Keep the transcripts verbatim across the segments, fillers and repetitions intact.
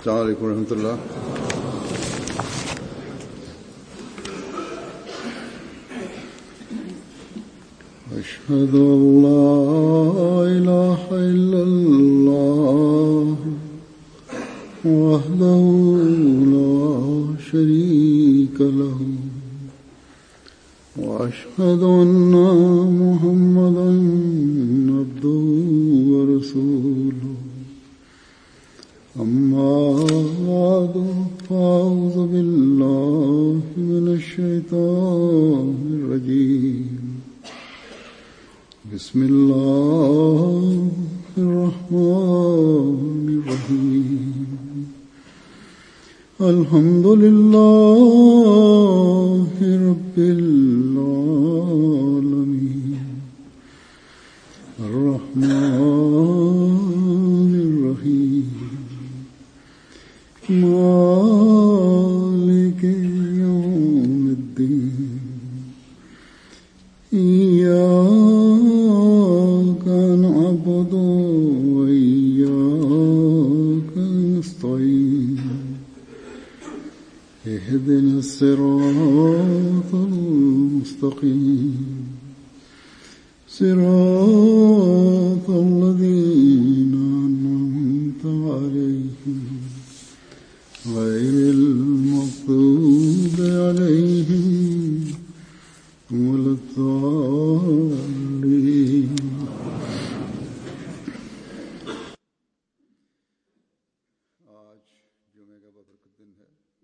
अस्सलाम वालेकुम रहमतुल्लाह। अशहदु अल्ला इलाहा इल्लल्लाह वहदहु ला शरीका लहु व अशहदु अन्ना मुहम्मदन अब्दुहु व रसूलुहु। अम्मा बादु फ़अऊज़ु बिल्लाहि मिनश शैतानिर रजीम। बिस्मिल्लाहिर रहमानिर रहीम। अल्हम्दुलिल्लाहि रब्बिल आलमीन अर्रहमानिर रहीम मालिकि यौमिद्दीन। इय्याका नअबुदु व इय्याका नस्तईन। इहदिनस सिरातल मुस्तकीम सिरातल लज़ीना अनअमता अलैहिम गैरिल मग़्दूबि अलैहिम वलद्दाल्लीन।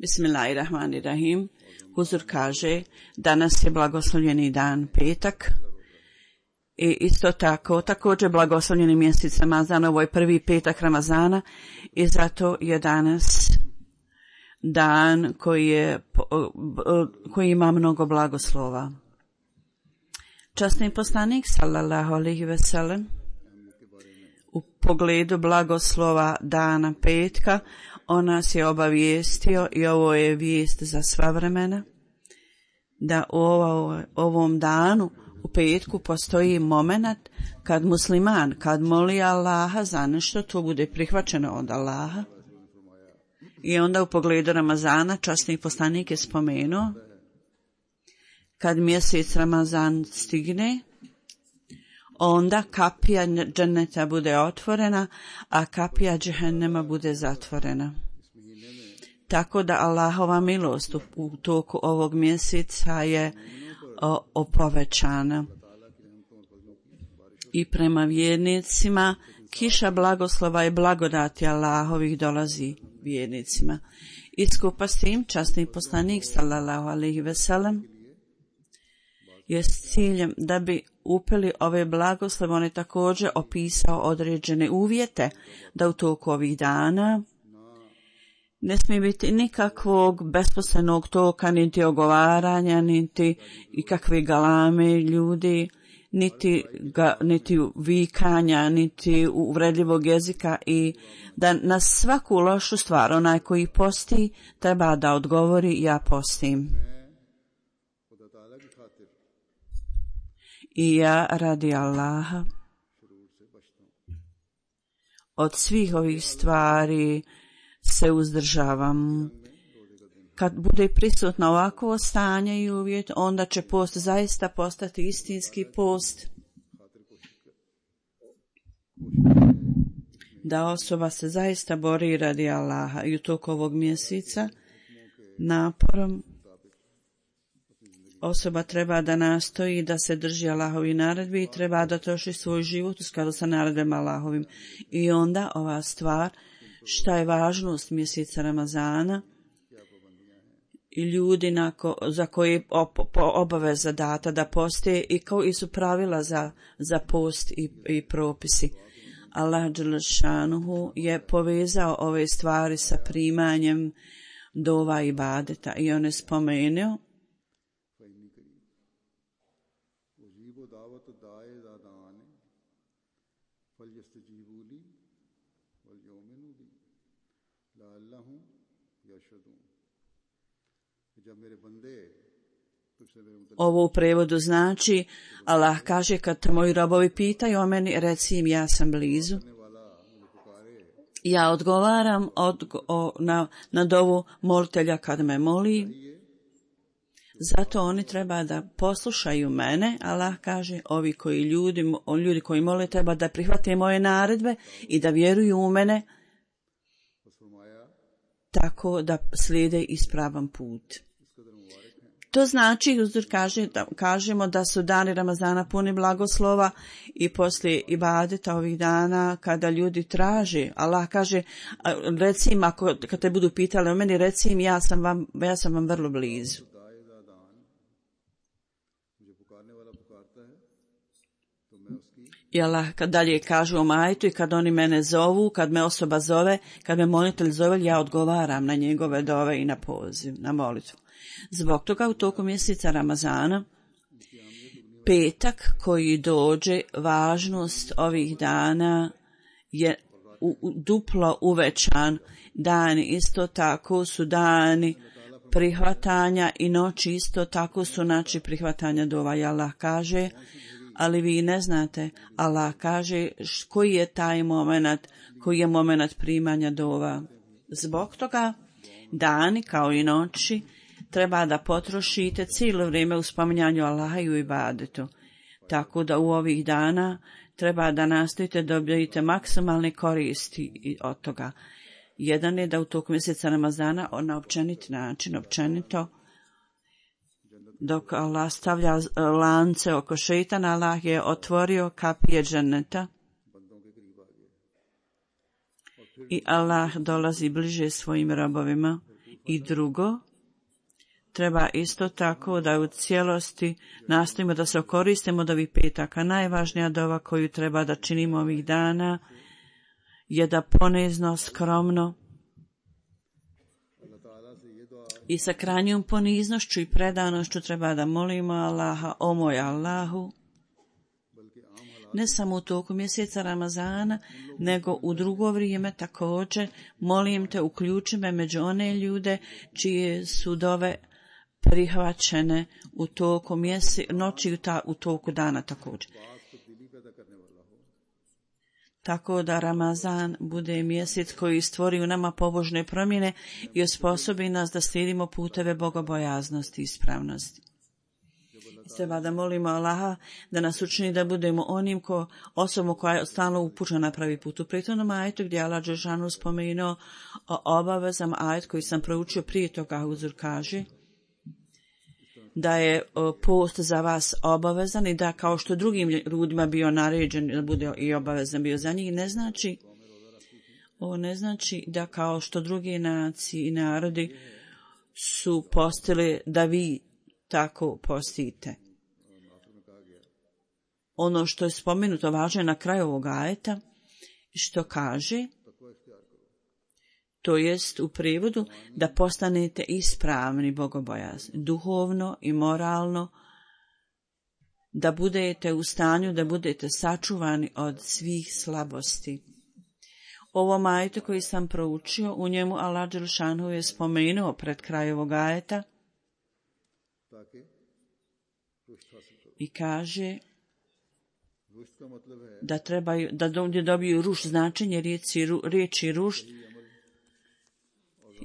Bismillahirrahmanirrahim. Huzur kaže, danas je blagoslovljeni dan petak i isto tako, također blagoslovljeni mjesec Ramazana, ovo je prvi petak Ramazana i zato je danas dan koji, je, koji ima mnogo blagoslova. Časni poslanik sallallahu alejhi ve sellem u pogledu blagoslova dana petka on nas je obavijestio i ovo je vijest za sva vremena da u ovom danu u petku postoji moment kad musliman, kad moli Allaha za nešto, to bude prihvaćeno od Allaha. I onda u pogledu Ramazana časni poslanik je spomenuo kad mjesec Ramazan stigne, onda kapija dženneta bude otvorena, a kapija džehennema bude zatvorena. Tako da Allahova milost u toku ovog mjeseca je o, opovećana. I prema vjernicima kiša blagoslova i blagodati Allahovih dolazi vjernicima. I skupa s tim časni poslanik sallallahu alejhi ve sellem je s ciljem da bi upeli ove blagoslove, on je također opisao određene uvjete da u toku ovih dana ne smije biti nikakvog besposlenog toka, niti ogovaranja, niti ikakve galame ljudi, niti, ga, niti vikanja, niti uvredljivog jezika, i da na svaku lošu stvar onaj koji posti treba da odgovori ja postim. I ja radi Allaha od svih ovih stvari se uzdržavam. Kad bude prisutno ovakvo stanje i uvjet, onda će post zaista postati istinski post. Da osoba se zaista bori radi Allaha i u toku ovog mjeseca naporom osoba treba da nastoji da se drži Allahovi naredbi i treba da troši svoj život u skladu sa naredbama Allahovim. I onda ova stvar, šta je važnost mjeseca Ramazana i ljudi nako, za koje op, obaveza data da poste i koji su pravila za, za post i, i propisi. Allah dželle šanuhu je povezao ove stvari sa primanjem dova i ibadeta i on je spomenuo ovo u prevodu znači, Allah kaže kad te moji robovi pitaju o meni, reci im ja sam blizu. Ja odgovaram od, o, na, na dovu molitelja kad me moli. Zato oni treba da poslušaju mene. Allah kaže, ovi koji ljudi, ljudi koji mole treba da prihvate moje naredbe i da vjeruju u mene, tako da slijede ispravan put. To znači, uzor kaže, da kažemo da su dani Ramazana puni blagoslova i poslije ibadeta ovih dana kada ljudi traže. Allah kaže, reci im, ako, kad te budu pitali o meni, reci im, ja sam vam, ja sam vam vrlo blizu. I Allah kad dalje kažu o majtu i kad oni mene zovu, kad me osoba zove, kad me molitelj zove, ja odgovaram na njegove dove i na poziv, na molitvu. Zbog toga u toku mjeseca Ramazana, petak koji dođe, važnost ovih dana je u, u, duplo uvećan. Dani isto tako su dani prihvatanja i noći isto tako su noći prihvatanja dova. I Allah kaže, ali vi ne znate, Allah kaže koji je taj moment, koji je moment primanja dova. Zbog toga dani kao i noći treba da potrošite cijelo vrijeme u spominjanju Allaha i u ibadetu. Tako da u ovih dana treba da nastojite da dobijete maksimalne koristi od toga. Jedan je da u toku mjeseca Ramazana na općenit način, općenito, dok Allah stavlja lance oko šeitana, Allah je otvorio kapije dženeta i Allah dolazi bliže svojim robovima. I drugo, treba isto tako da u cijelosti nastojimo da se koristimo od ovih petaka. Najvažnija dova koju treba da činimo ovih dana je da ponizno, skromno i sa krajnjom poniznošću i predanošću treba da molimo Allaha, o moj Allahu, ne samo u toku mjeseca Ramazana, nego u drugo vrijeme također. Molim te, uključi me među one ljude čije su dove prihvaćene u toku mjese, noći i u toku dana također. Tako da Ramazan bude mjesec koji stvori u nama pobožne promjene i osposobi nas da slijedimo puteve bogobojaznosti i ispravnosti. Treba da molimo Allaha da nas učini da budemo onim ko, osobom koja je stalno upućena na pravi put. U prethodnom ajetu gdje Allah dželešanu spomenuo o obavezama, ajet koji sam proučio prije toga, uzor kaže da je post za vas obavezan i da kao što drugim ljudima bio naređen da bude i obavezan bio za njih, ne znači, ovo ne znači da kao što druge nacije i narodi su postili da vi tako postite. Ono što je spomenuto važno je na kraju ovog ajeta, što kaže, to jest u prijevodu da postanete ispravni bogobojazni, duhovno i moralno, da budete u stanju da budete sačuvani od svih slabosti. Ovo ajetu koji sam proučio, u njemu Allah dželešanu je spomenuo pred kraj ovog ajeta i kaže da trebaju, da dobiju rušt, značenje riječi, riječi rušt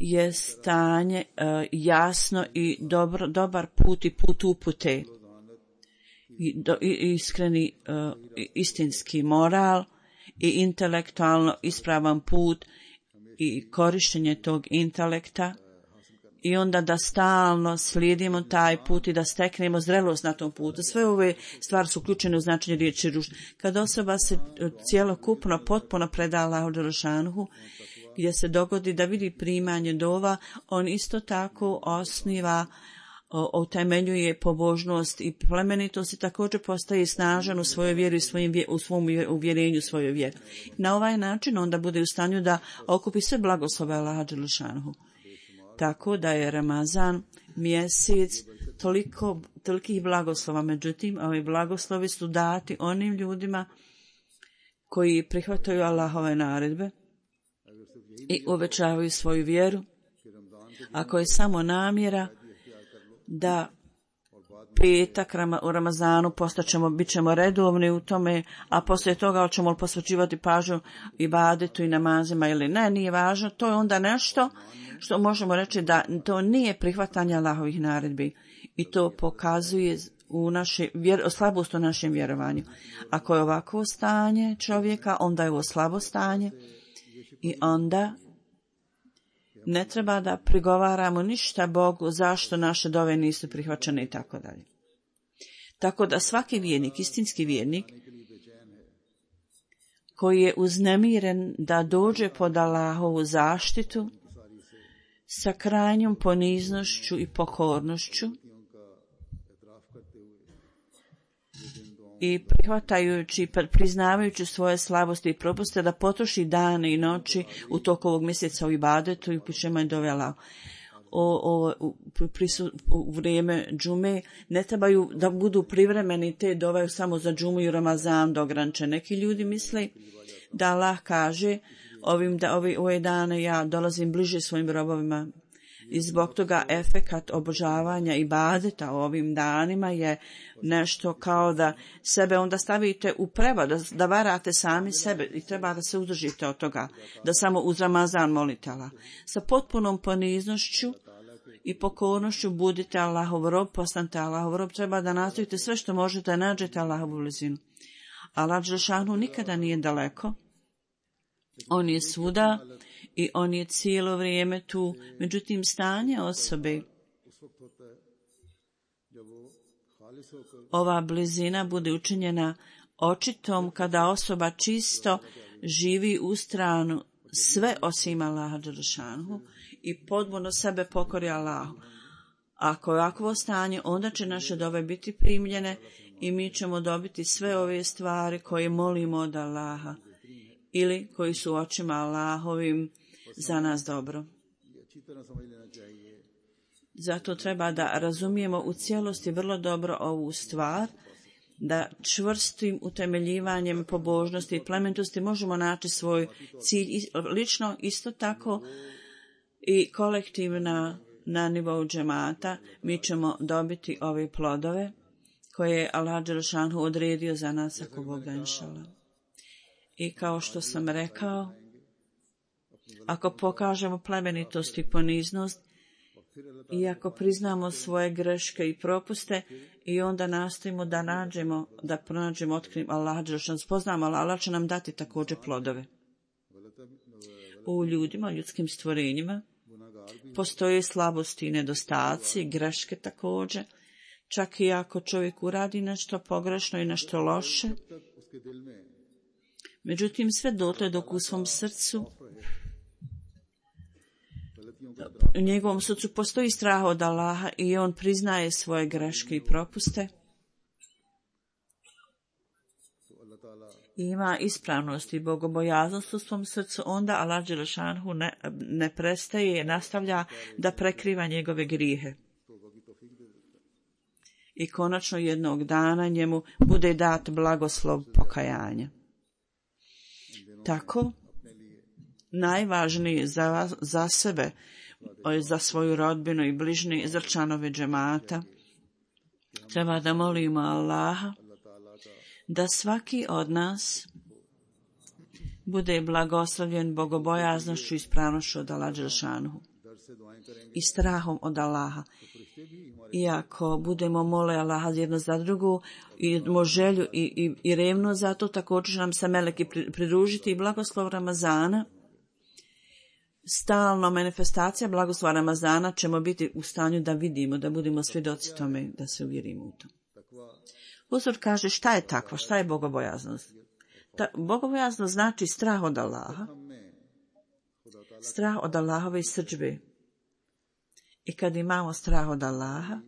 je stanje uh, jasno i dobro, dobar put i put upute i, do, i iskreni uh, istinski moral i intelektualno ispravan put i korištenje tog intelekta i onda da stalno slijedimo taj put i da steknemo zrelost na tom putu. Sve ove stvari su uključene u značenje riječi rušt. Kad osoba se cijelokupno potpuno preda Allahu dželešanu, gdje se dogodi da vidi primanje dova, on isto tako osniva, utemeljuje pobožnost i plemenitost i također postaje snažan u svojoj vjeri i svojim, u svom uvjerenju svojoj vjeri. Na ovaj način onda bude u stanju da okupi sve blagoslove Allaha dželešanu. Tako da je Ramazan mjesec toliko, tolikih blagoslova, međutim, ovi blagoslovi su dati onim ljudima koji prihvataju Allahove naredbe i uvećavaju svoju vjeru, ako je samo namjera da petak u Ramazanu postaćemo, bit ćemo redovni u tome, a poslije toga ćemo li posvećivati pažnju ibadetu i namazima ili ne, nije važno. To je onda nešto što možemo reći da to nije prihvatanje Allahovih naredbi i to pokazuje u naše, vjer, slabost u našem vjerovanju. Ako je ovako stanje čovjeka, onda je ovo slabo stanje i onda ne treba da prigovaramo ništa Bogu zašto naše dove nisu prihvaćene i tako dalje. Tako da svaki vjernik, istinski vjernik, koji je uznemiren da dođe pod Allahovu zaštitu sa krajnjom poniznošću i pokornošću i prihvatajući, priznavajući svoje slabosti i propuste, da potroši dane i noći u toku ovog mjeseca u ibadetu i pišemo i dove Allahu. O, o, u, prisu, u vrijeme džume ne trebaju da budu privremeni te dovaju samo za džumu i Ramazan dogranče. Neki ljudi misle da Allah kaže ovim da ovi ove dane ja dolazim bliže svojim robovima i zbog toga efekat obožavanja i ibadeta ovim danima je nešto kao da sebe onda stavite u prevad, da, da varate sami sebe i treba da se uzdržite od toga, da samo uz Ramazan molite Allah. Sa potpunom poniznošću i pokornošću budite Allahov rob, postanite Allahov rob, treba da nastavite sve što možete da nađete Allahovu blizinu. Allah dželešanu nikada nije daleko, on je svuda i on je cijelo vrijeme tu. Međutim, stanje osobe, ova blizina bude učinjena očitom kada osoba čisto živi u stranu sve osim Allaha dželešanu i potpuno sebe pokori Allahu. Ako je ovakvo stanje, onda će naše dove biti primljene i mi ćemo dobiti sve ove stvari koje molimo od Allaha ili koji su očima Allahovim za nas dobro. Zato treba da razumijemo u cijelosti vrlo dobro ovu stvar, da čvrstim utemeljivanjem pobožnosti i plementosti možemo naći svoj cilj lično, isto tako i kolektivna na nivou džemata. Mi ćemo dobiti ove plodove koje je Allah dželešanu odredio za nas ako Bog da inšallah. I kao što sam rekao, ako pokažemo plemenitost i poniznost i ako priznamo svoje greške i propuste i onda nastojimo da nađemo, da pronađemo, otkrijemo Allah dželešanu, spoznamo Allah, Allah će nam dati također plodove. U ljudima, ljudskim stvorenjima postoje slabosti i nedostaci, greške također, čak i ako čovjek uradi nešto pogrešno i nešto loše. Međutim, sve dotle dok u svom srcu, u njegovom srcu postoji strah od Allaha i on priznaje svoje greške i propuste, i ima ispravnost i bogobojaznost u svom srcu, onda Allah dželešanu ne, ne prestaje, nastavlja da prekriva njegove grijehe. I konačno jednog dana njemu bude dat blagoslov pokajanja. Tako, najvažnije za, za sebe, za svoju rodbinu i bližnje, za članove džemata, treba da molimo Allaha da svaki od nas bude blagoslovljen bogobojaznošću i ispravnošću od Allaha dželešanu i strahom od Allaha. Iako budemo mole Allaha jedno za drugu i imamo želju i, i, i revno za to, također će nam se meleki pridružiti i blagoslov Ramazana, stalno manifestacija blagoslova Ramazana ćemo biti u stanju da vidimo, da budemo svjedoci tome, da se uvjerimo u to. Uzor kaže šta je takva, šta je bogobojaznost? Ta, bogobojaznost znači strah od Allaha, strah od Allahove srdžbe. I kad imamo strah od Allaha,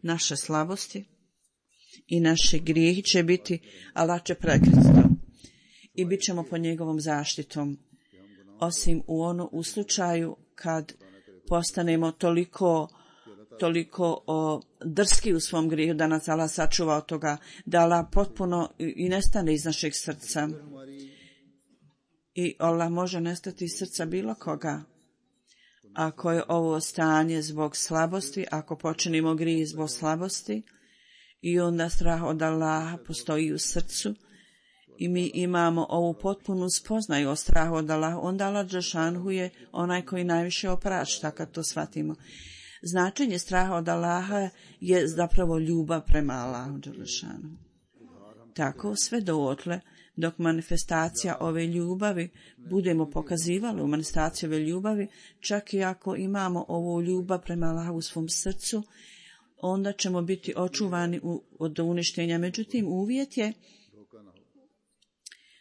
naše slabosti i naše grijehi će biti, Allah će prekriti to. I bit ćemo pod njegovom zaštitom. Osim u ono u slučaju kad postanemo toliko, toliko o, drski u svom grijehu da nas Allah sačuva od toga, da Allah potpuno i, i nestane iz našeg srca. I Allah može nestati iz srca bilo koga. ako je ovo stanje zbog slabosti, ako počinimo grije zbog slabosti, i onda strah od Allaha postoji u srcu, i mi imamo ovu potpunu spoznaju o strahu od Allaha, onda Allah dželešanhu je onaj koji najviše oprašta kad to shvatimo. Značenje straha od Allaha je zapravo ljubav prema Allahu dželešanhu. Tako sve dootle, dok manifestacija ove ljubavi budemo pokazivali u manifestaciju ove ljubavi, čak i ako imamo ovu ljubav prema Allahu u svom srcu, onda ćemo biti očuvani u, od uništenja. Međutim, uvjet je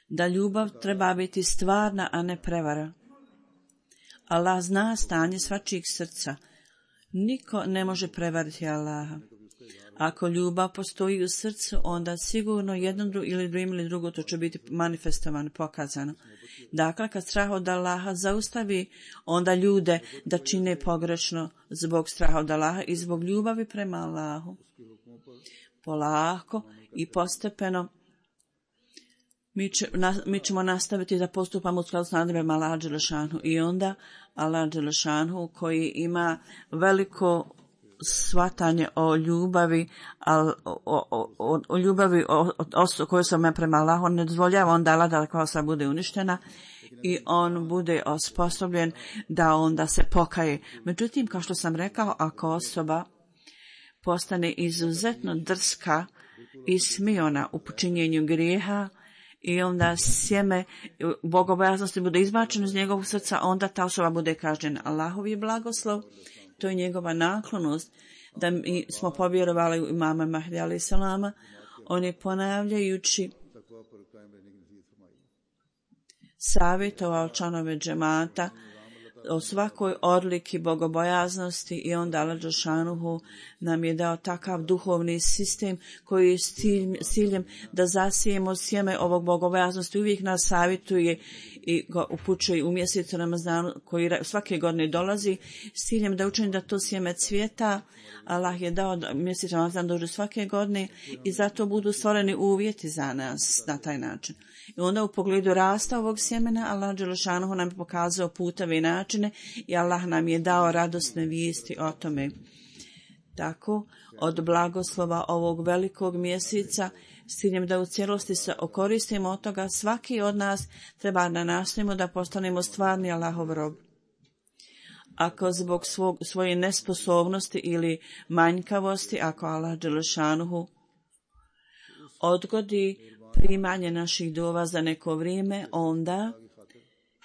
da ljubav treba biti stvarna, a ne prevara. Allah zna stanje svačijeg srca. Niko ne može prevariti Allaha. Ako ljubav postoji u srcu, onda sigurno jedno dru, ili drugim ili drugo to će biti manifestovano, pokazano. Dakle, kad strah od Allaha zaustavi onda ljude da čine pogrešno zbog straha od Allaha i zbog ljubavi prema Allahu, polako i postepeno mi, će, na, mi ćemo nastaviti da postupamo u skladu s naredbama Allaha dželešanhu, i onda Allah dželešanhu koji ima veliko shvatanje o ljubavi, o, o, o, o ljubavi o, o, koju sam ja prema Allahu, ne dozvoljava onda Allah da koja osoba bude uništena i on bude osposobljen da onda se pokaje. Međutim, kao što sam rekao, ako osoba postane izuzetno drska i smiona u počinjenju grijeha i onda sjeme bogobojaznosti bude izbačeno iz njegovog srca, onda ta osoba bude kažnjena. Allahov je blagoslov, to je njegova naklonost, da mi smo povjerovali u imama Mahdi alejhi selama. On je ponavljajući savjetovao članove džemata o svakoj odliki bogobojaznosti, i onda Allah dželešanuhu nam je dao takav duhovni sistem koji je s ciljem da zasijemo sjeme ovog bogobojaznosti. Uvijek nas savjetuje i ga upućuje u mjesecu Ramazanu koji svake godine dolazi s ciljem da učini da to sjeme cvjeta. Allah je dao da mjesec Ramazan dođe svake godine i zato budu stvoreni uvjeti za nas na taj način. I onda u pogledu rasta ovog sjemena Allah dželešanuhu nam je pokazao puteve i načine i Allah nam je dao radosne vijesti o tome. Tako, od blagoslova ovog velikog mjeseca, s ciljem da u cijelosti se okoristimo od toga, svaki od nas treba da nastojimo da postanemo stvarni Allahov rob. Ako zbog svog, svoje nesposobnosti ili manjkavosti, ako Allah dželešanuhu odgodi primanje naših dova za neko vrijeme, onda,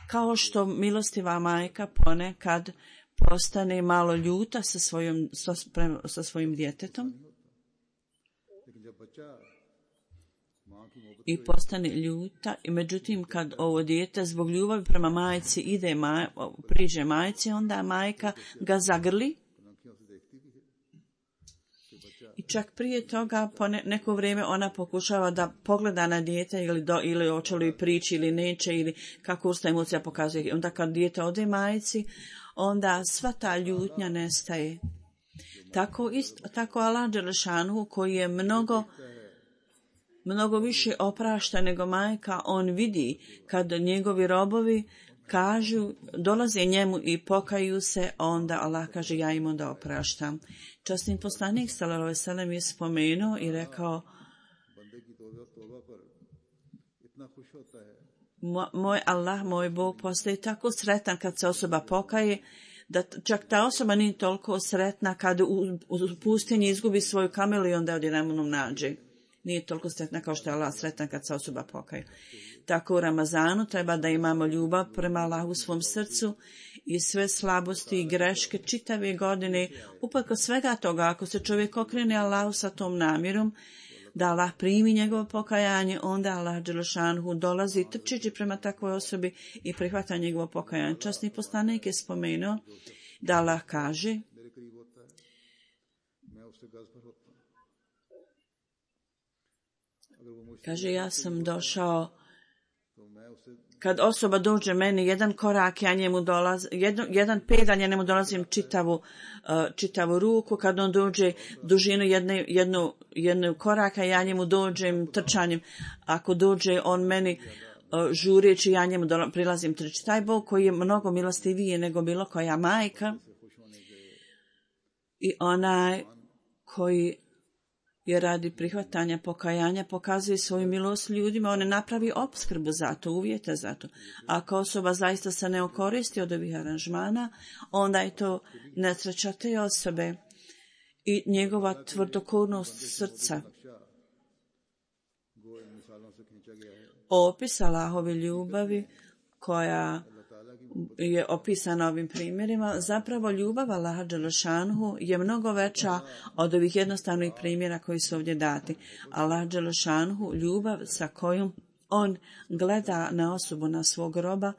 kao što milostiva majka ponekad postane malo ljuta sa, svojom, sa, sa svojim djetetom i postane ljuta, i međutim kad ovo dijete zbog ljubavi prema majci ide maj, priđe majci, onda majka ga zagrli. I čak prije toga, po ne, neko vrijeme ona pokušava da pogleda na dijete ili, do, ili hoće li prići ili neće, ili kako usta emocija pokazuje. Onda kad dijete ode majci, onda sva ta ljutnja nestaje. Tako, isto, tako Allah dželešanuhu koji je mnogo, mnogo više oprašta nego majka, on vidi kad njegovi robovi kažu, dolaze njemu i pokaju se, onda Allah kaže ja im onda opraštam. Časni poslanik sallallahu alejhi ve sellem je spomenuo i rekao, moj Allah, moj Bog postaje tako sretan kad se osoba pokaje, da čak ta osoba nije toliko sretna kad u, u pustinji izgubi svoju kamelu i onda odjedanput nađe. Nije toliko sretna kao što je Allah sretan kad se osoba pokaje. Tako u Ramazanu treba da imamo ljubav prema Allahu u svom srcu i sve slabosti i greške čitave godine, uprkos svega toga, ako se čovjek okrene Allahu sa tom namjerom da Allah primi njegovo pokajanje, onda Allah dželešanuhu dolazi trčeći prema takvoj osobi i prihvata njegovo pokajanje. Časni poslanik je spomenuo da Allah kaže, kaže ja sam došao, kad osoba dođe meni jedan korak, ja njemu dolazim, jedan, jedan pedalj, ja njemu dolazim čitavu, uh, čitavu ruku, kad on dođe dužinu jedne, jednu, jednu koraka, ja njemu dođem trčanjem, ako dođe on meni žureći ja njemu prilazim trči. Taj Bog koji je mnogo milostiviji nego bilo koja majka i onaj koji je radi prihvatanja pokajanja pokazuje svoju milost ljudima, on ne napravi opskrbu za to, uvjete za to. Ako osoba zaista se ne okoristi od ovih aranžmana, onda je to nesreća te osobe i njegova tvrdokornost srca. Opis Allahove ljubavi koja je opisana ovim primjerima, zapravo ljubav Allaha dželešanhu je mnogo veća od ovih jednostavnih primjera koji su ovdje dati. Allah dželešanhu, ljubav sa kojom on gleda na osobu, na svog roba,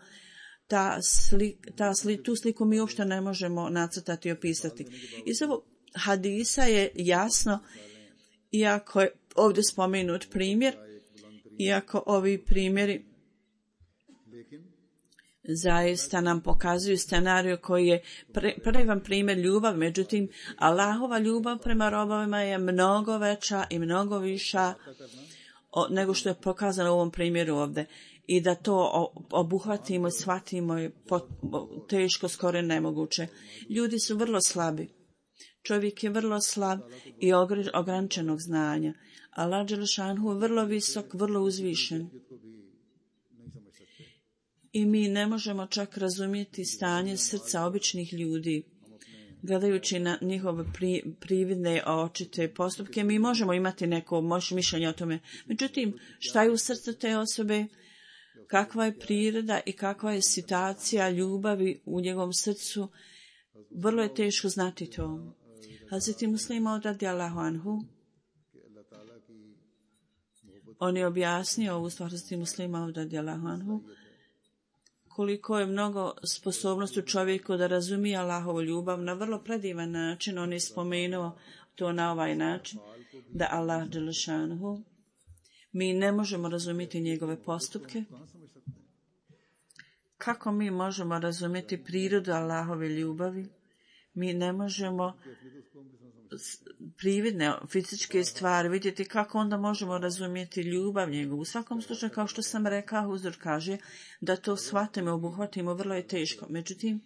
ta slik, ta sli, tu sliku mi uopšte ne možemo nacrtati i opisati. Iz ovog hadisa je jasno, iako je ovdje spomenut primjer, iako ovi primjeri zaista nam pokazuju scenariju koji je pre, prvi primjer ljubav, međutim Allahova ljubav prema robovima je mnogo veća i mnogo viša o, nego što je pokazano u ovom primjeru ovdje. I da to obuhvatimo i shvatimo je pot, teško, skoro nemoguće. Ljudi su vrlo slabi. Čovjek je vrlo slab i ograničenog znanja. Allah dželešanhu je vrlo visok, vrlo uzvišen. I mi ne možemo čak razumjeti stanje srca običnih ljudi. Gledajući na njihove pri, prividne očite postupke, mi možemo imati neko mišljenje o tome. Međutim, šta je u srcu te osobe, kakva je priroda i kakva je situacija ljubavi u njegovom srcu, vrlo je teško znati to. Hazreti Muslim radijallahu anhu, on je objasnio ovu stvar Hazreti Muslima radijallahu anhu, koliko je mnogo sposobnosti u čovjeku da razumije Allahovu ljubav na vrlo predivan način. On je spomenuo to na ovaj način, da Allah dželešanhu, mi ne možemo razumjeti njegove postupke. Kako mi možemo razumjeti prirodu Allahove ljubavi? Mi ne možemo prividne fizičke stvari vidjeti, kako onda možemo razumjeti ljubav njegovu. U svakom slučaju, kao što sam rekao, uzor kaže da to shvatimo, obuhvatimo, vrlo je teško. Međutim,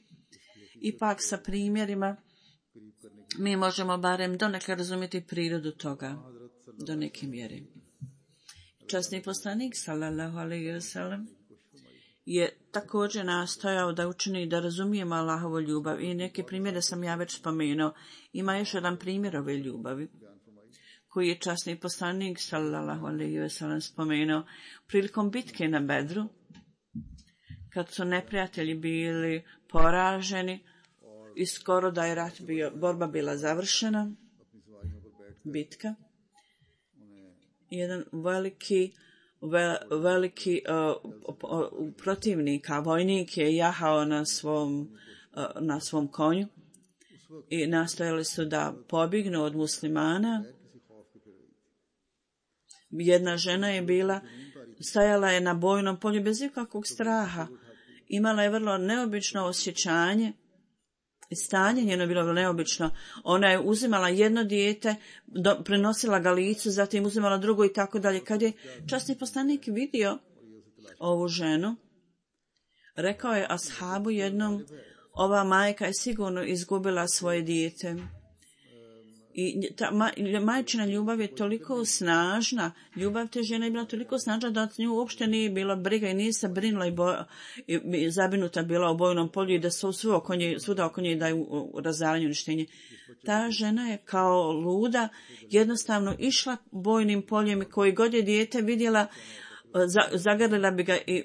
ipak sa primjerima mi možemo barem donekle razumjeti prirodu toga do neke mjere. Časni poslanik sallallahu alejhi ve sellem je također nastojao da učini da razumijemo Allahovu ljubav i neke primjere sam ja već spomenuo. Ima još jedan primjer ove ljubavi koji je časni poslanik sallallahu alejhi ve sellem spomenuo prilikom bitke na Bedru, kad su neprijatelji bili poraženi i skoro da je rat bio, borba bila završena, bitka. Jedan veliki veliki uh, protivnika, vojnik je jahao na svom, uh, na svom konju i nastojali su da pobjegnu od muslimana. Jedna žena je bila, stajala je na bojnom polju bez ikakvog straha. Imala je vrlo neobično osjećanje i stanje njeno je bilo neobično. Ona je uzimala jedno dijete, do, prenosila ga licu, zatim uzimala drugo i tako dalje. Kad je časni poslanik vidio ovu ženu, rekao je ashabu jednom, ova majka je sigurno izgubila svoje dijete. I ta ma, majčina ljubav je toliko snažna, ljubav te žene je bila toliko snažna da od nju uopšte nije bilo briga i nije se brinula i, bo, i, i zabrinuta bila u bojnom polju i da su sve oko nje, svuda oko nje daju razaranju uništenje. Ta žena je kao luda jednostavno išla bojnim poljem i koji god je dijete vidjela, zagrlila bi ga i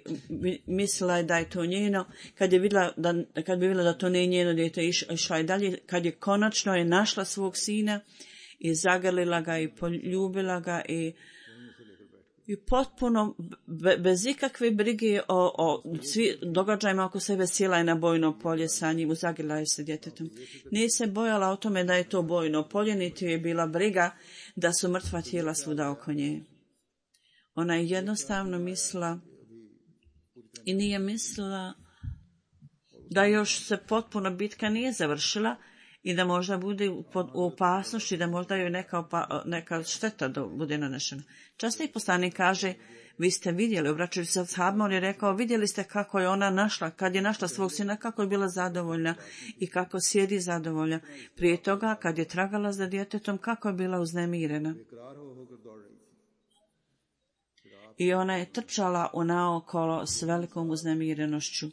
mislila je da je to njeno. Kad je vidjela da, kad bi vidjela da to nije njeno dijete, išla je dalje. Kad je konačno je našla svog sina i zagrlila ga i poljubila ga i, i potpuno be, bez ikakve brige o, o svi događajima oko sebe sjela je na bojno polje sa njim, zagrlila je se djetetom. Nije se bojala o tome da je to bojno polje, niti je bila briga da su mrtva tijela svuda oko nje. Ona je jednostavno mislila i nije mislila da još se potpuno bitka nije završila i da možda bude u opasnosti, da možda joj neka, opa, neka šteta do, bude nanešena. Časni poslanik kaže, vi ste vidjeli, obraćajući se sahabima, on je rekao, vidjeli ste kako je ona našla, kad je našla svog sina, kako je bila zadovoljna i kako sjedi zadovoljna. Prije toga, kad je tragala za djetetom, kako je bila uznemirena. I ona je trčala u naokolo s velikom uznemirenošću.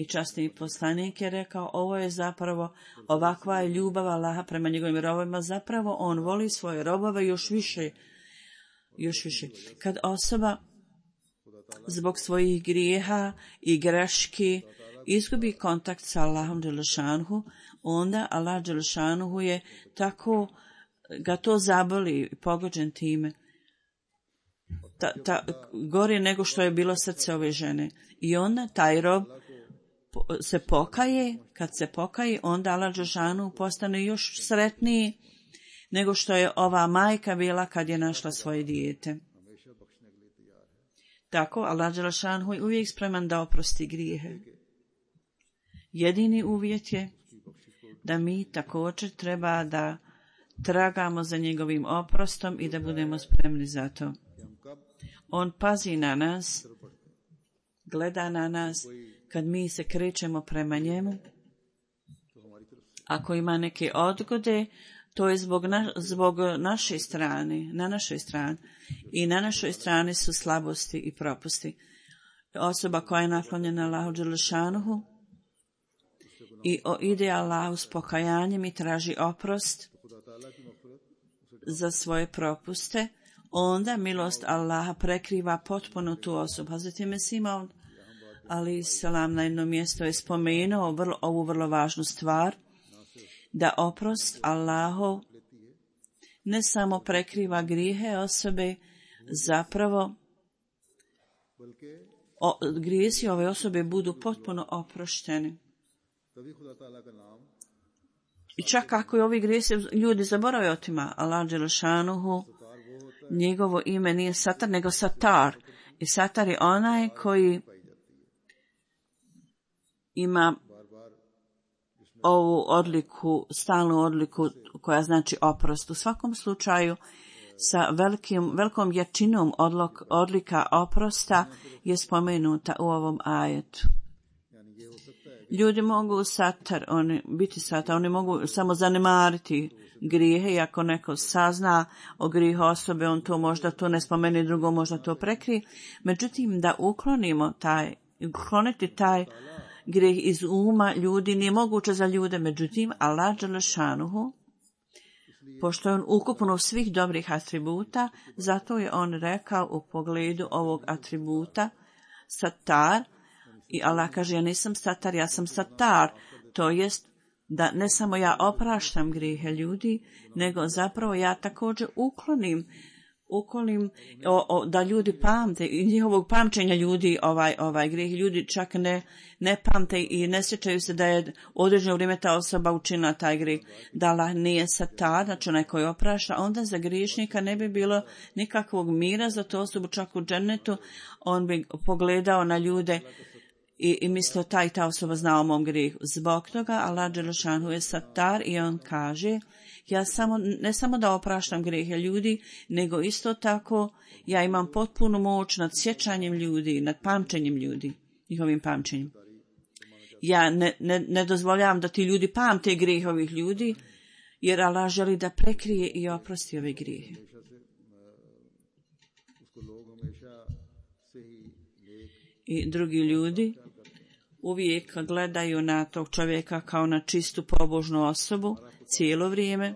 I časni poslanik je rekao, ovo je zapravo, ovakva je ljubav Allaha prema njegovim robovima, zapravo on voli svoje robove još više, još više. Kad osoba zbog svojih grijeha i greški izgubi kontakt sa Allahom dželešanuhu, onda Allah dželešanuhu je tako, ga to zaboli, pogođen time. Ta, ta, gore nego što je bilo srce ove žene. I onda taj rob se pokaje, kad se pokaje, onda Allah dželešanuhu postane još sretniji nego što je ova majka bila kad je našla svoje dijete. Tako, Allah dželešanuhu je uvijek spreman da oprosti grijehe. Jedini uvjet je da mi također treba da tragamo za njegovim oprostom i da budemo spremni za to. On pazi na nas, gleda na nas, kad mi se krećemo prema njemu. Ako ima neke odgode, to je zbog, na, zbog naše strane, na našoj strani. I na našoj strani su slabosti i propusti. Osoba koja je naklonjena Allahu dželešanuhu i ide Allahu s pokajanjem i traži oprost za svoje propuste, onda milost Allaha prekriva potpuno tu osobu. Hazreti Mesih Maud alejhi selam na jednom mjestu je spomenuo vrlo, ovu vrlo važnu stvar, da oprost Allahov ne samo prekriva grijehe osobe, zapravo o, grijesi ove osobe budu potpuno oprošteni. I čak ako i ovi grijesi ljudi zaborave o tima, Allah dželešanuhu, njegovo ime nije Satar, nego Satar. I Satar je onaj koji ima ovu odliku, stalnu odliku koja znači oprost. U svakom slučaju, sa velikim, velikom jačinom odlok, odlika oprosta je spomenuta u ovom ajetu. Ljudi mogu satar, oni, biti satar, oni mogu samo zanemariti grijehe i ako neko sazna o grijehu osobe, on to možda to ne spomeni, drugo možda to prekrije. Međutim, da uklonimo taj, ukloniti taj grijeh iz uma ljudi nije moguće za ljude. Međutim, Allah dželešanuhu, pošto je on ukupno svih dobrih atributa, zato je on rekao u pogledu ovog atributa Satar, i Allah kaže, ja nisam Satar, ja sam Satar, to jest da ne samo ja opraštam grijehe ljudi, nego zapravo ja također uklonim, uklonim o, o, da ljudi pamte, i njihovog pamćenja ljudi ovaj, ovaj grijeh, ljudi čak ne, ne pamte i ne sjećaju se da je određeno vrijeme ta osoba učinila taj grijeh. Da Allah nije Satar, znači onaj koji oprašta, onda za griješnika ne bi bilo nikakvog mira za tu osobu, čak u džennetu, on bi pogledao na ljude I, i mislio taj ta osoba zna o mom grijehu. Zbog toga Allah dželešanuhu je Satar i on kaže, ja samo, ne samo da opraštam grijehe ljudi, nego isto tako ja imam potpunu moć nad sjećanjem ljudi, nad pamćenjem ljudi, njihovim pamćenjem. Ja ne, ne, ne dozvoljavam da ti ljudi pamte grijehe ovih ljudi, jer Allah želi da prekrije i oprosti ove grijehe. I drugi ljudi uvijek gledaju na tog čovjeka kao na čistu pobožnu osobu cijelo vrijeme.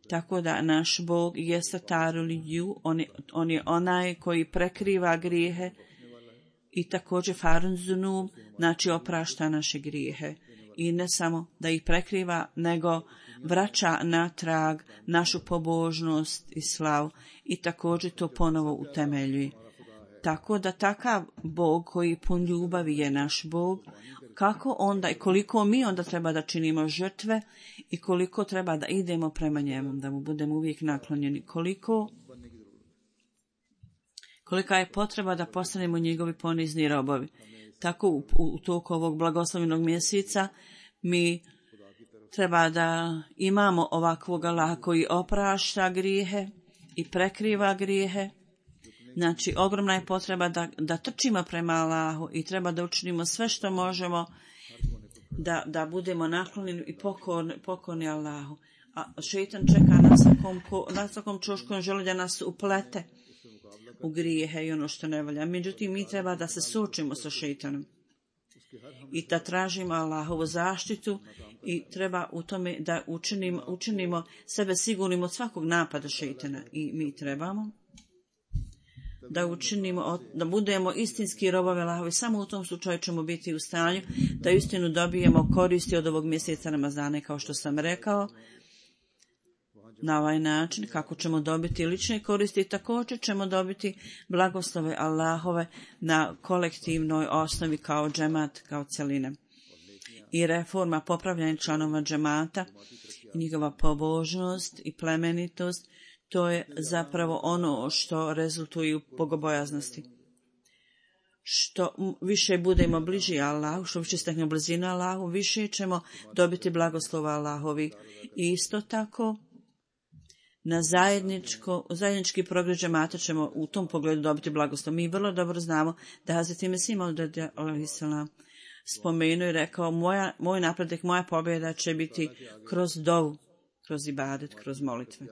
Tako da naš Bog je Satarul Ju, on je, on je onaj koji prekriva grijehe i također Farun Zunum, znači oprašta naše grijehe. I ne samo da ih prekriva, nego vraća natrag našu pobožnost i slavu i također to ponovo utemeljuje. Tako da takav Bog koji pun ljubavi je naš Bog, kako onda i koliko mi onda treba da činimo žrtve i koliko treba da idemo prema njemu, da mu budemo uvijek naklonjeni, koliko, kolika je potreba da postanemo njegovi ponizni robovi. Tako u, u toku ovog blagoslovljenog mjeseca mi treba da imamo ovakvog Allaha koji oprašta grijehe i prekriva grijehe. Znači, ogromna je potreba da, da trčimo prema Allahu i treba da učinimo sve što možemo da, da budemo naklonjeni i pokorni, pokorni Allahu. A šeitan čeka na svakom, na svakom čošku, on želi da nas uplete u grijehe i ono što ne valja. Međutim, mi treba da se suočimo sa šeitanom i da tražimo Allahovu zaštitu i treba u tome da učinimo, učinimo sebe sigurnim od svakog napada šeitana. I mi trebamo da učinimo, da budemo istinski robovi Allahovi. Samo u tom slučaju ćemo biti u stanju da istinu dobijemo koristi od ovog mjeseca Ramazana, kao što sam rekao. Na ovaj način, kako ćemo dobiti lične koristi, također ćemo dobiti blagoslove Allahove na kolektivnoj osnovi kao džemat, kao cjeline. I reforma popravljanja članova džemata, njihova pobožnost i plemenitost, to je zapravo ono što rezultuje u bogobojaznosti. Što više budemo bliži Allahu, što više steknemo blizinu Allahu, više ćemo dobiti blagoslova Allahovi. I isto tako, na zajedničko, zajednički progres džemata ćemo u tom pogledu dobiti blagoslov. Mi vrlo dobro znamo da Hazreti Mesih Maud alejhi selam spomenuo i rekao, moja, moj napredak, moja pobjeda će biti kroz dovu, kroz ibadet, kroz molitve.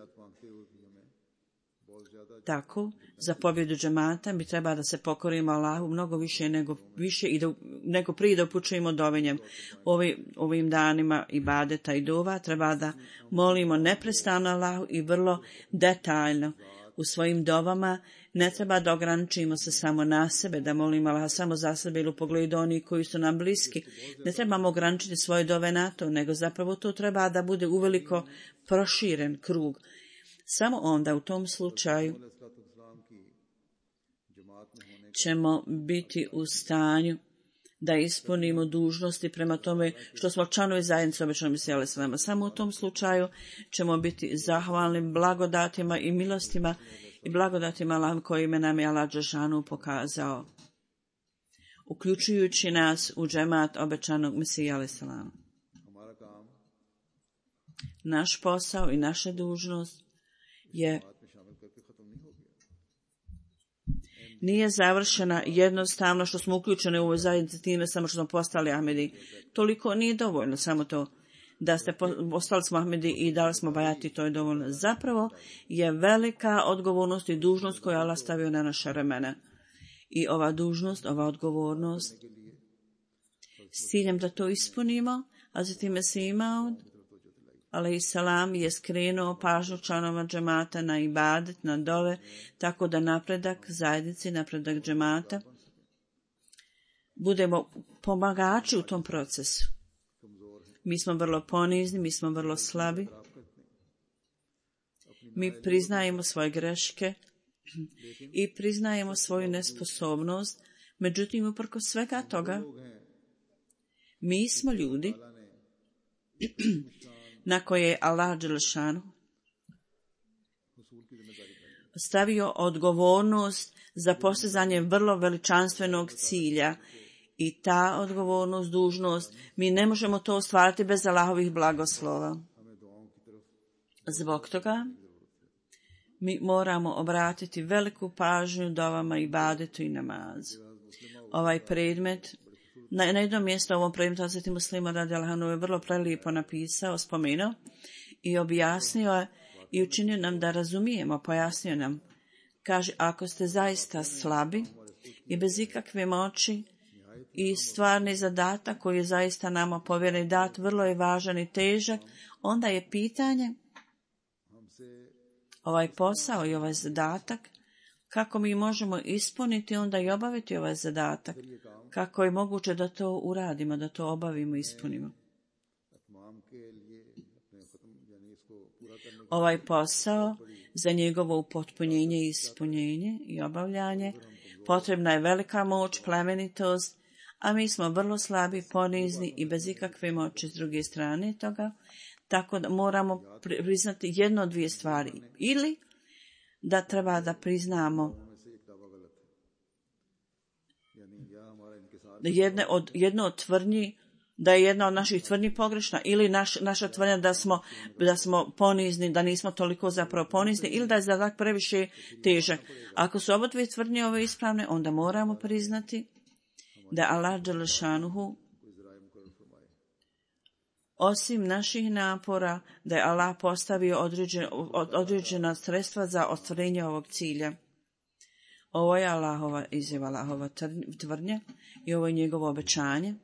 Tako, za pobjedu džemata mi treba da se pokorimo Allahu mnogo više nego, više i da, nego prije da upućujemo dovenjem. Ovi, ovim danima ibadeta i dova treba da molimo neprestano Allahu i vrlo detaljno u svojim dovama. Ne treba da ograničimo se samo na sebe, da molimo Allaha samo za sebe ili u pogledu onih koji su nam bliski. Ne trebamo ograničiti svoje dove na to, nego zapravo to treba da bude uveliko proširen krug. Samo onda u tom slučaju ćemo biti u stanju da ispunimo dužnosti prema tome što smo članovi zajednice obećanog Mesija alejhi selam. Samo u tom slučaju ćemo biti zahvalni blagodatima i milostima i blagodatima Allahom kojima nam je Allah dželešanu pokazao, uključujući nas u džemat obećanog Mesija alejhi selam. Naš posao i naša dužnost je nije završena jednostavno što smo uključeni u ovoj zajednici time samo što smo postali Ahmedi. Toliko nije dovoljno samo to da ste postali smo Ahmedi i dali smo bajati, to je dovoljno. Zapravo je velika odgovornost i dužnost koju Allah stavio na naše ramena. I ova dužnost, ova odgovornost s ciljem da to ispunimo, a zatim je se imao alejhi selam je skrenuo pažnju članova džemata na ibadet, na dove, tako da napredak zajednici, napredak džemata, budemo pomagači u tom procesu. Mi smo vrlo ponizni, mi smo vrlo slabi. Mi priznajemo svoje greške i priznajemo svoju nesposobnost. Međutim, uprkos svega toga, mi smo ljudi na koje je Allah dželešanu stavio odgovornost za postizanje vrlo veličanstvenog cilja. I ta odgovornost, dužnost, mi ne možemo to ostvariti bez Allahovih blagoslova. Zbog toga mi moramo obratiti veliku pažnju dovama, ibadetu i namazu. Ovaj predmet, na, na jednom mjestu ovom predmetu Hazreti Muslima radijallahu anhu je vrlo prelijepo napisao, spomenuo i objasnio je i učinio nam da razumijemo, pojasnio nam. Kaže, ako ste zaista slabi i bez ikakve moći i stvarni zadatak koji je zaista nama povjeren dat, vrlo je važan i težak, onda je pitanje, ovaj posao i ovaj zadatak, kako mi možemo ispuniti onda i obaviti ovaj zadatak, kako je moguće da to uradimo, da to obavimo i ispunimo. Ovaj posao za njegovo upotpunjenje i ispunjenje i obavljanje potrebna je velika moć, plemenitost, a mi smo vrlo slabi, ponizni i bez ikakve moći s druge strane toga, tako da moramo priznati jedno od dvije stvari. Ili da treba da priznamo jedne od, jedno od tvrdnji da je jedna od naših tvrdnji pogrešna ili naš, naša tvrdnja da smo, da smo ponizni, da nismo toliko zapravo ponizni ili da je zadatak previše težak. Ako su oba dvije tvrdnje ove ispravne, onda moramo priznati da Allah dželešanuhu osim naših napora, da je Allah postavio određen, određena sredstva za ostvarenje ovog cilja. Ovo je Allahova izjava, Allahova tvrdnja i ovo je njegovo obećanje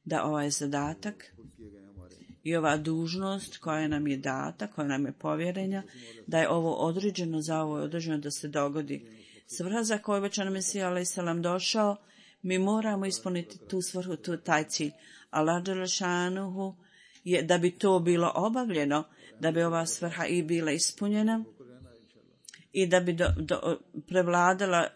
da ovaj zadatak i ova dužnost koja nam je data, koja nam je povjerenja, da je ovo određeno, za ovo je određeno da se dogodi. Svrha za koju već nam Mesija alejhi selam došao, mi moramo ispuniti tu svrhu, tu, taj cilj. Allah dželešanuhu je da bi to bilo obavljeno, da bi ova svrha i bila ispunjena i da bi do, do, prevladala,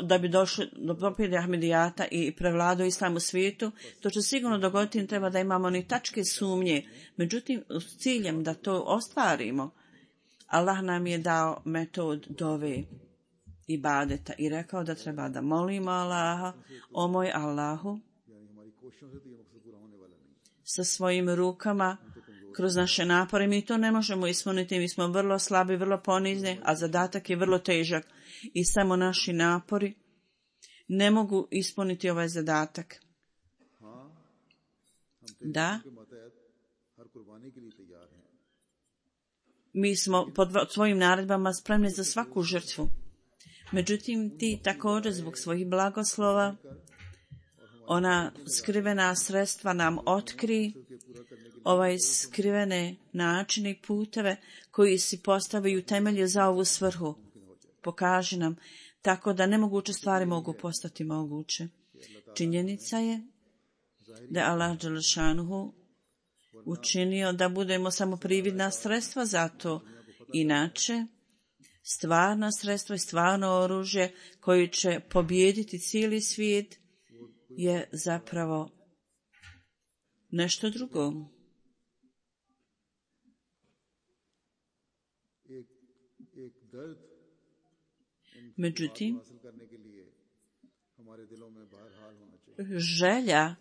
da bi došlo do pobjede Ahmedijata i prevladao islam u svijetu, to će sigurno dogoditi, im treba da imamo ni tačke sumnje. Međutim, s ciljem da to ostvarimo, Allah nam je dao metod dove ibadeta i rekao da treba da molimo Allaha, o moj Allahu, sa svojim rukama, kroz naše napore. Mi to ne možemo ispuniti, mi smo vrlo slabi, vrlo ponizni, a zadatak je vrlo težak. I samo naši napori ne mogu ispuniti ovaj zadatak. Da, mi smo pod svojim naredbama spremni za svaku žrtvu. Međutim, ti također zbog svojih blagoslova, ona skrivena sredstva nam otkri, ovaj skrivene načine i puteve koji si postavaju temelje za ovu svrhu. Pokaži nam, tako da nemoguće stvari mogu postati moguće. Činjenica je da je Allah dželešanuhu učinio da budemo samo prividna sredstva za to. Inače, stvarna sredstva i stvarno oružje koji će pobijediti cijeli svijet je zapravo nešto drugo. Međutim, želja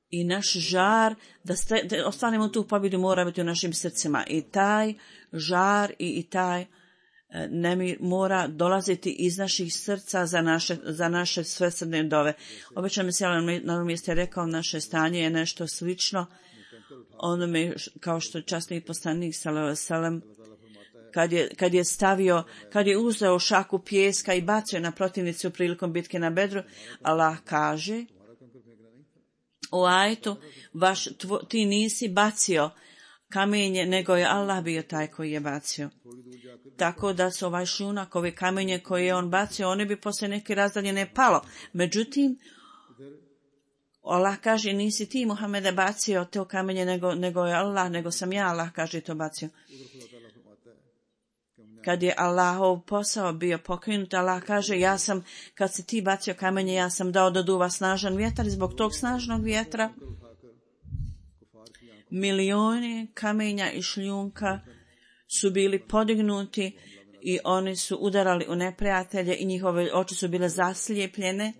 i naš žar da, ste, da ostanemo tu pobjedu mora biti u našim srcima. I taj žar i, i taj nemir mora dolaziti iz naših srca za naše, za naše svesrdne dove. Obično mi se na ovom mjestu je rekao, naše stanje je nešto slično onome kao što časni poslanik sallallahu alejhi ve sellem kad je, kad je stavio, kad je uzeo šaku pijeska i bacio na protivnicu prilikom bitke na Bedru, Allah kaže u ajetu, vaš, tvo, ti nisi bacio kamenje, nego je Allah bio taj koji je bacio. Tako da su ovaj šunak, ove kamenje koje je on bacio, one bi posle neke razdaljene palo. Međutim, Allah kaže, nisi ti, Muhammede, bacio to kamenje, nego, nego je Allah, nego sam ja, Allah kaže, to bacio. Kad je Allahov posao bio pokrenut, Allah kaže, ja sam, kad si ti bacio kamenje, ja sam dao da duva snažan vjetar i zbog tog snažnog vjetra milioni kamenja i šljunka su bili podignuti i oni su udarali u neprijatelje i njihove oči su bile zaslijepljene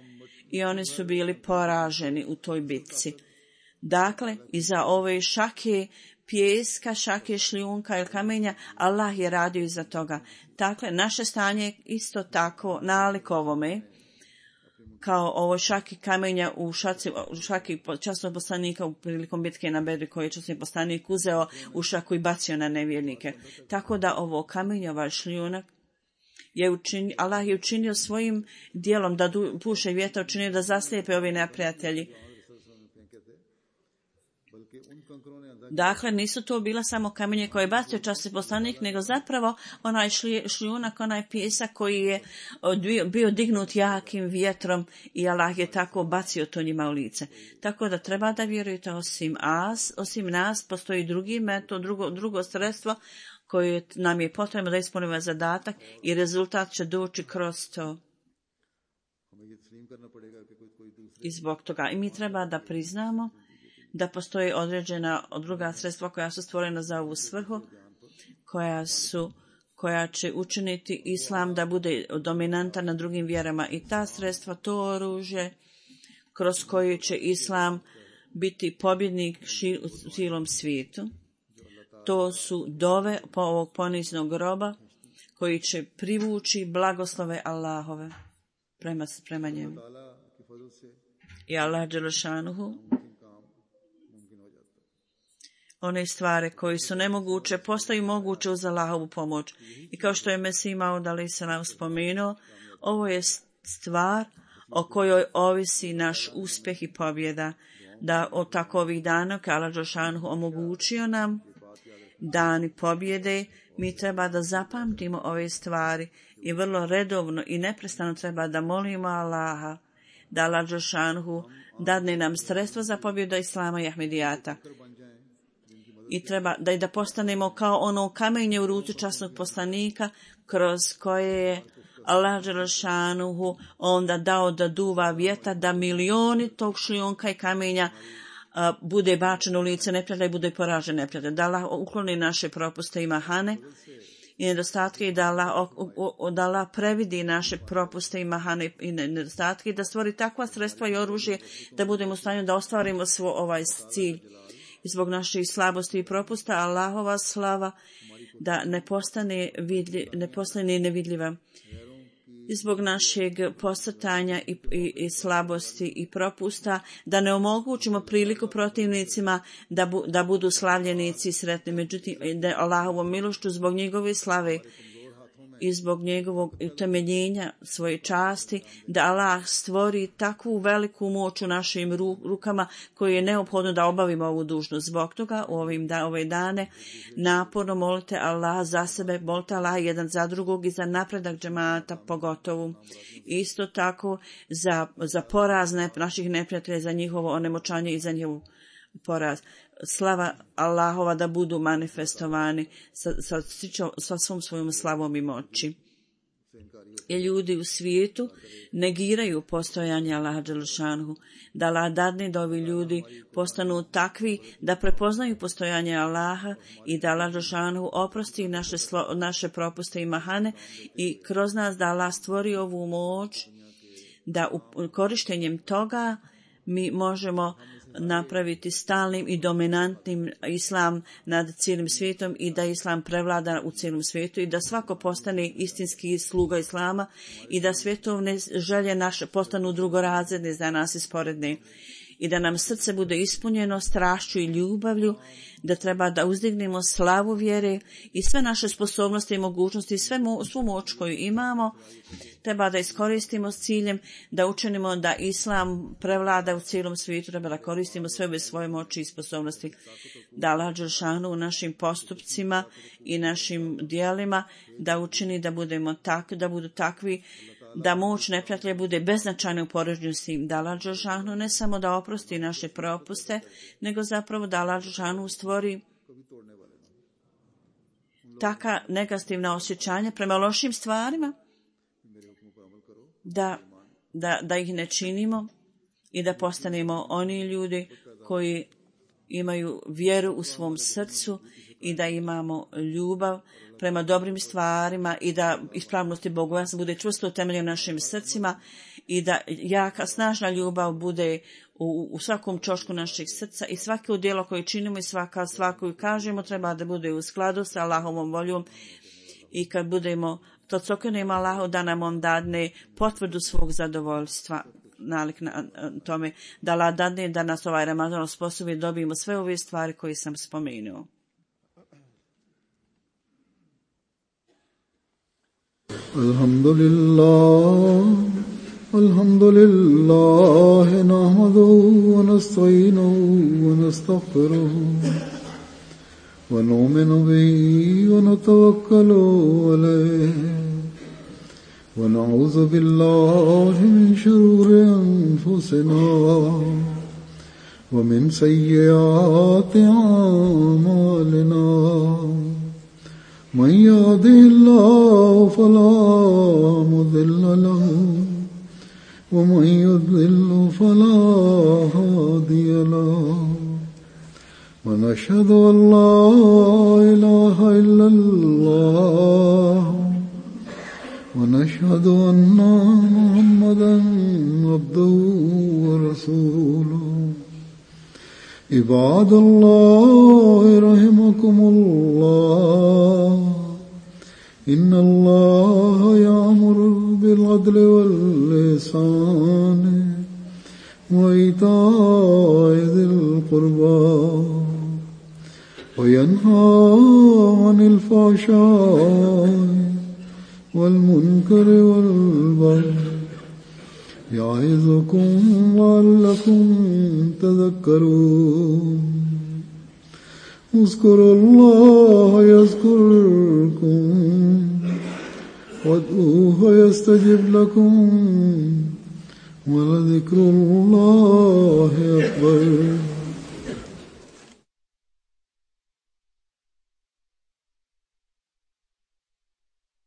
i oni su bili poraženi u toj bitci. Dakle, iza ove šake pijeska, šake šljunka ili kamenja, Allah je radio iza toga. Dakle, naše stanje je isto tako nalik ovome, kao ovo šaki kamenja u šaci, u šaki časnog poslanika u prilikom bitke na Bedri koji je časni poslanik uzeo u šaku i bacio na nevjernike. Tako da ovo kamenje, ovaj šljunak, je učinio, Allah je učinio svojim dijelom da du, puše vjetar, učinio da zaslijepe ovi neprijatelji. Dakle, nisu to bila samo kamenje koje je bacio časni poslanik, nego zapravo onaj šljunak, onaj pijesak koji je bio, bio dignut jakim vjetrom i Allah je tako bacio to njima u lice. Tako da treba da vjerujete, osim, as, osim nas postoji drugi metod, drugo, drugo sredstvo koje nam je potrebno da ispunimo zadatak i rezultat će doći kroz to. I zbog toga. I mi treba da priznamo da postoji određena druga sredstva koja su stvorena za ovu svrhu, koja su, koja će učiniti islam da bude dominantan na drugim vjerama. I ta sredstva, to oružje kroz koju će Islam biti pobjednik u cijelom svijetu. To su dove po ovog poniznog groba koji će privući blagoslove Allahove prema, prema njemu. I Allah dželešanuhu one stvari koji su nemoguće postaju moguće uz Allahovu pomoć. I kao što je Mesih Maud alejhi selam spomenuo, ovo je stvar o kojoj ovisi naš uspjeh i pobjeda. Da od takovih dana kad Allah dželešanuhu omogućio nam dani pobjede, mi treba da zapamtimo ove stvari i vrlo redovno i neprestano treba da molimo Allaha da Allah dželešanuhu dadne nam sredstvo za pobjedu Islama i Ahmedijata. I treba da i da postanemo kao ono kamenje u ruci časnog poslanika kroz koje je Allah dželešanuhu onda dao da duva vjetar, da milioni tog šljunka i kamenja a, bude bačeno u lice neprijatelja i bude poražen neprijatelj. Da Allah ukloni naše propuste i mahane i nedostatke i da Allah, o, o, da Allah previdi naše propuste i mahane i nedostatke i da stvori takva sredstva i oružje da budemo u stanju da ostvarimo svoj ovaj cilj. I zbog naših slabosti i propusta Allahova slava da ne postane, vidlji, ne postane nevidljiva. I zbog našeg posrtanja i, i, i slabosti i propusta da ne omogućimo priliku protivnicima da, bu, da budu slavljenici i sretni. Međutim, da Allahovom milošću zbog njegove slave i zbog njegovog utemeljenja svoje časti, da Allah stvori takvu veliku moć u našim rukama koju je neophodno da obavimo ovu dužnost. Zbog toga u ovim da, ove dane naporno molite Allah za sebe, molite Allah jedan za drugog i za napredak džemata pogotovo. Isto tako za, za poraz ne, naših neprijatelja, za njihovo onemoćanje i za njihov poraz. Slava Allahova da budu manifestovani sa, sa, sa svom svojom slavom i moći. I ljudi u svijetu negiraju postojanje Allaha dželešanuhu, da Allah dadne da ovi ljudi postanu takvi da prepoznaju postojanje Allaha i da Allah dželešanuhu oprosti naše, slo, naše propuste i mahane i kroz nas da Allah stvori ovu moć da u, korištenjem toga mi možemo napraviti stalnim i dominantnim Islam nad cijelim svijetom i da Islam prevlada u cijelom svijetu i da svako postane istinski sluga Islama i da svjetovne želje naše postanu drugorazredne za nas i sporedne i da nam srce bude ispunjeno strašću i ljubavlju, da treba da uzdignemo slavu vjere i sve naše sposobnosti i mogućnosti, sve mo, svu moć koju imamo, treba da iskoristimo s ciljem da učinimo da Islam prevlada u cijelom svijetu, treba da koristimo sve ove svoje moći i sposobnosti, da Allah dželešanu u našim postupcima i našim dijelima da učini da budemo tak, da budu takvi da moć neprijatelja bude beznačajna u poređenju s tim, da Allah dželešanu ne samo da oprosti naše propuste, nego zapravo da Allah dželešanu stvori taka negativna osjećanja prema lošim stvarima, da, da, da ih ne činimo i da postanemo oni ljudi koji imaju vjeru u svom srcu i da imamo ljubav prema dobrim stvarima i da ispravnost i bogobojaznost bude čvrsto utemeljena u našim srcima i da jaka, snažna ljubav bude u, u svakom čošku naših srca i svako djelo koje činimo i svaka stvar koju kažemo treba da bude u skladu sa Allahovom voljom i kad budemo to cokenemo Allahu da nam on dadne potvrdu svog zadovoljstva nalik na tome da Allah dadne da nas ovaj Ramazan osposobi dobijemo sve ove stvari koje sam spomenuo. Alhamdulillah, alhamdulillah, nahmaduhu wa nasta'inuhu wa nastaghfiruhu wa nu'minu bihi wa natawakkalu alayhi wa na'udhu billahi min shururi anfusina wa min sayyiati a'malina. من يهده الله فلا مضل له ومن يضلل فلا هادي له ونشهد أن لا إله إلا الله ونشهد أن محمدا عبده ورسوله عباد الله رحمكم الله إن الله يأمر بالعدل والإحسان وإيتاء ذي القربى وينهى عن الفحشاء والمنكر والبغي يعظكم لعلكم تذكرون اذكروا الله يذكركم وادعوه يستجب لكم ولذكر الله أكبر